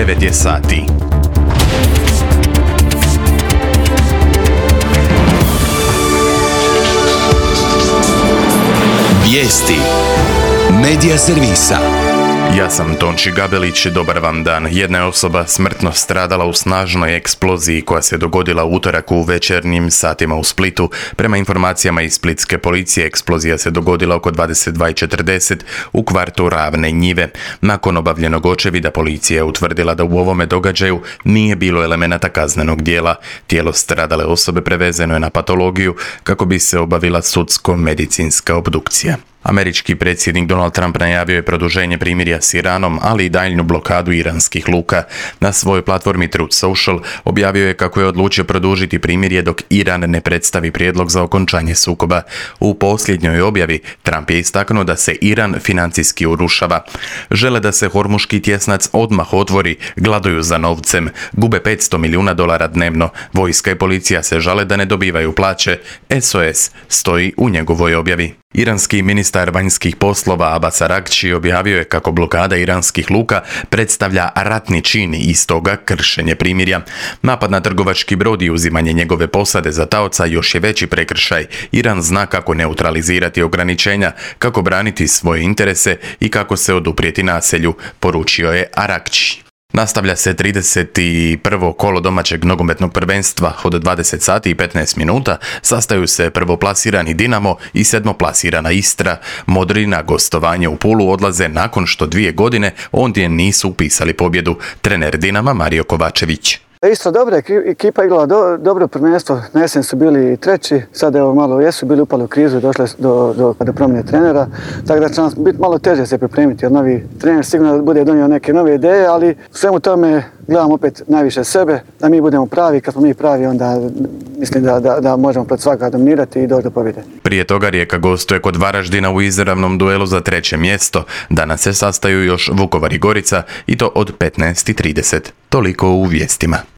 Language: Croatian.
9 je sati. Vijesti Medija servisa. Ja sam Tonči Gabelić, dobar vam dan. Jedna je osoba smrtno stradala u snažnoj eksploziji koja se dogodila u utorak u večernjim satima u Splitu. Prema informacijama iz splitske policije, eksplozija se dogodila oko 22:40 u kvartu Ravne Njive. Nakon obavljenog očevida policija je utvrdila da u ovome događaju nije bilo elemenata kaznenog djela. Tijelo stradale osobe prevezeno je na patologiju kako bi se obavila sudsko-medicinska obdukcija. Američki predsjednik Donald Trump najavio je produženje primirja s Iranom, ali i daljnju blokadu iranskih luka. Na svojoj platformi Truth Social objavio je kako je odlučio produžiti primirje dok Iran ne predstavi prijedlog za okončanje sukoba. U posljednjoj objavi Trump je istaknuo da se Iran financijski urušava. Žele da se hormuški tjesnac odmah otvori, gladuju za novcem, gube $500 milijuna dnevno. Vojska i policija se žale da ne dobivaju plaće. SOS stoji u njegovoj objavi. Iranski ministar vanjskih poslova Abbas Araghchi objavio je kako blokada iranskih luka predstavlja ratni čin i stoga kršenje primirja. Napad na trgovački brod i uzimanje njegove posade za taoca još je veći prekršaj. Iran zna kako neutralizirati ograničenja, kako braniti svoje interese i kako se oduprijeti nasilju, poručio je Araghchi. Nastavlja se 31. kolo domaćeg nogometnog prvenstva. Od 20 sati i 15 minuta sastaju se prvoplasirani Dinamo i sedmoplasirana Istra. Modri na gostovanje u Pulu odlaze nakon što 2 godine ondje nisu upisali pobjedu. Trener Dinama Mario Kovačević. Istra dobra ekipa, igrala dobro prvenstvo, na jesen su bili treći, sad evo malo jesu bili upali u krizu, došli do promjene trenera, tako da će nam biti malo teže se pripremiti, jer novi trener sigurno bude donio neke nove ideje, ali svemu tome gledamo opet najviše sebe, da mi budemo pravi, kad smo mi pravi onda mislim da možemo pred svaka dominirati i doći do pobjede. Prije toga Rijeka gostuje kod Varaždina u izravnom duelu za 3. mjesto. Danas se sastaju još Vukovar i Gorica i to od 15:30. Toliko u vijestima.